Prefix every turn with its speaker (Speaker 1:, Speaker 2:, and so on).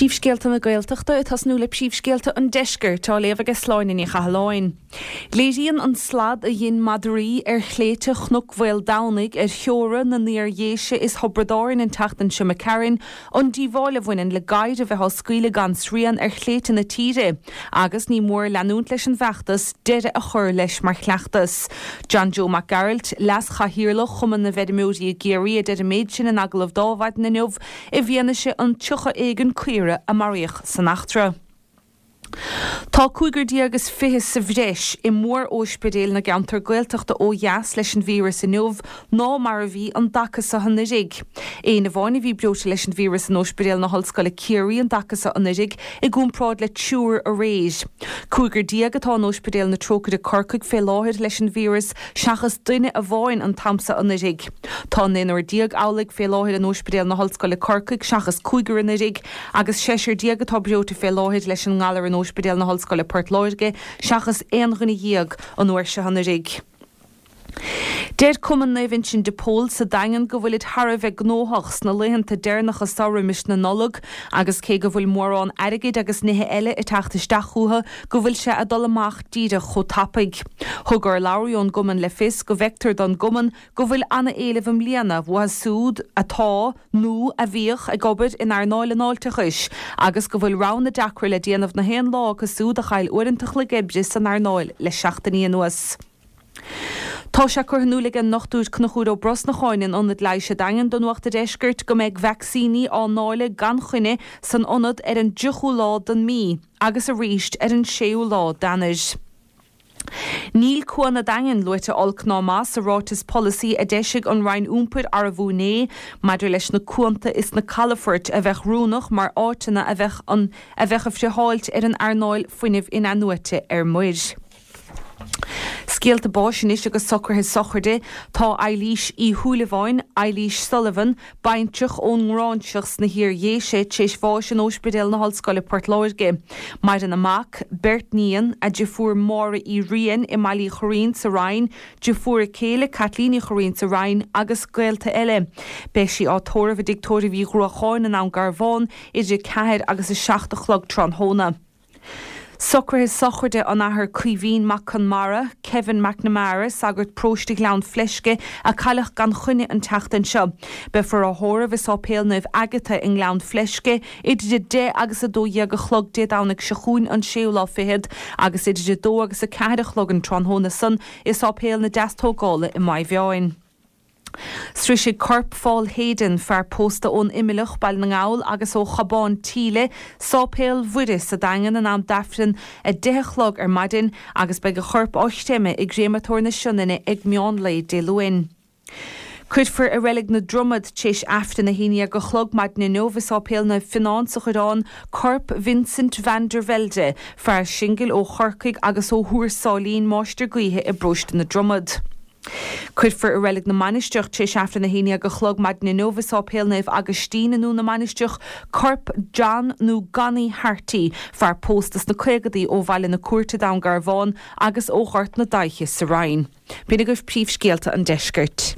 Speaker 1: Príomhscéalta na Gaeltachta ag tosnú le príomhscéalta an Deiscirt, á léamh aige Sláine Ní Chathalláin. Léiríonn an slad a dhein madraí ar shléibhte Chnoc Mhaoldomhnaigh ar theora na nIar-Dhéise is Thiobraid Árann an tseachtain seo imigh tharainn an díobháil a bhaineann le gadhair a bheith á scaoileadh gan srian ar shléibhte na tíre agus ní mór leanúint leis an bhfeachtas deireadh a chur leis mar chleachtas. John Joe Mac Gearailt, Leas-Chathaoirleach Chumann na bhFeirmeoirí i gCiarraí a deir an méid sin in agallamh d'Adhmhaidin inniu i bhfianaise an 30 éigin caora a maraíodh san eachtra. Tá cúigear déag is fiche sa bhreis i mór-óispidéil na gceantar Gaeltachta ó dheas leis an víreas inniu ná mar a bhí an dtaca so anuiridh. Éinne amháin a bhí breoite leis an víreas in Óispidéal na hOllscoile Ciarraí an dtaca so anuiridh i gcomparáid le triúr aréir. Cúigear déag atá in Óispidéal na Trócaire Corcaigh fé láthair leis an víreas seachas duine amháin an t-am so anuiridh. Tá naonúr déag amhlaidh fé láthair in Óispidéal na hOllscoile Corcaigh seachas cúigear anuiridh agus seisear déag atá breoite fé láthair leis an ngalar in Óispidéal na hOllscoile Port Láirge seachas aon dhuine dhéag an uair seo anuiridh. Deir Cumann Naomh Uinseann de Pól sa Daingean go bhfuilid thar a bheith gnóthach sna laethanta deireanacha seo roimis na Nollag agus cé go bhfuil mórán airgid agus nithe eile ag teacht isteach chucu go bhfuil sé ag dul amach díreach chomh tapaidh. Thug urlabhraí ón gcumann le fios go bhfeictear don gcumann go bhfuil ana-éileamh i mbliana uathu siúd atá, nó a bhíodh, ag obair in earnáil an fháilteachais agus go bhfuil roghanna deacra le déanamh na haon lá acu siúd a chaill uaireanta an chloig oibre san earnáil le seachtainí anuas. Tá sé curtha in iúl ag an nDochtúir Conchúr Ó Brosnacháin in Ionad Leighis an Daingin do Nuacht an Deiscirt go mbeidh vacsaíní á ndáileadh gan choinne san ionad ar an dtríochú lá den mí agus arís ar an séú lá d'Eanáir. Níl Cuan an Daingin luaite olc ná maith sa ráiteas polasaí a d'eisigh an Roinn Iompair arbú inné maidir leis na cuanta is na calafoirt a bheadh oiriúnach mar áiteanna a bheadh an a bheadh ag friotháilt ar an earnáil fuinnimh in-athnuaite ar muir. Scéalta báis anois agus socruithe sochraide. Tá Eilís Uí Shúilleabháin, Eilís Sullivan, baintreach ón nGráinseach sna hIar-Dhéise, tar éis bháis in Óispidéal na hOllscoile Port Láirge. Maireann a mac, beirt níon, a deirfiúr Máire Uí Riain i mBaile Uí Churraoin sa Rinn, deirfiúr a céile Caitlín Uí Churraoin sa Rinn agus gaolta eile. Beidh sí á tórramh i dTigh Tórraimh Uí Ghruacháin i nDún Garbhán idir 4 agus 7 a chlog tráthnóna. Socruithe sochraide an Athar Caoimhín Mac Conmara, Kevin McNamara, sagart paróiste Ghleann Fleisce, a cailleadh gan choinne an tseachtain seo. Beifear á thórramh i Sáipéal Naomh Agatha i nGleann Fleisce idir 10 agus 12 a chlog Dé Domhnaigh seo chugainn an séú lá fichead agus idir 2 agus 4 a chlog an tráthnóna san i Sáipéal na Deastógála i Maigh Mheáin. Sroisfidh corp Phaul Hayden, fear pósta ón Imileach, Baile na nGall, agus ó Chabán tSíle, Sáipéal Mhuire sa Daingean in am d'Aifreann 10 a chlog ar maidin agus beidh a chorp á chreimeadh i gCréamatóir na Sionainne ag meán lae Dé Luain. Cuirfear i Reilig na Dromad tar éis Aifreann 11 a chlog maidin inniu i Sáipéal Naomh Fionán sa Choireán corp Vincent van der Velde, fear singil ó Chorcaigh agus ó Thuar Sáilín, máistir gaoithe i bparóiste na Dromad. Cuirfear i Reilig na Mainistreach tar éis Aifreann 11 a chlog maidin inniu i Sáipéal Naomh Agaistín i nDún na Mainistreach corp John nó Gonny Harty, fear pósta sna caogadaí ó Bhaile na Cúirte, Dún Garbhán agus ó Ghort na Daiche sa Rinn. B'in agaibh príomhscéalta an deiscirt.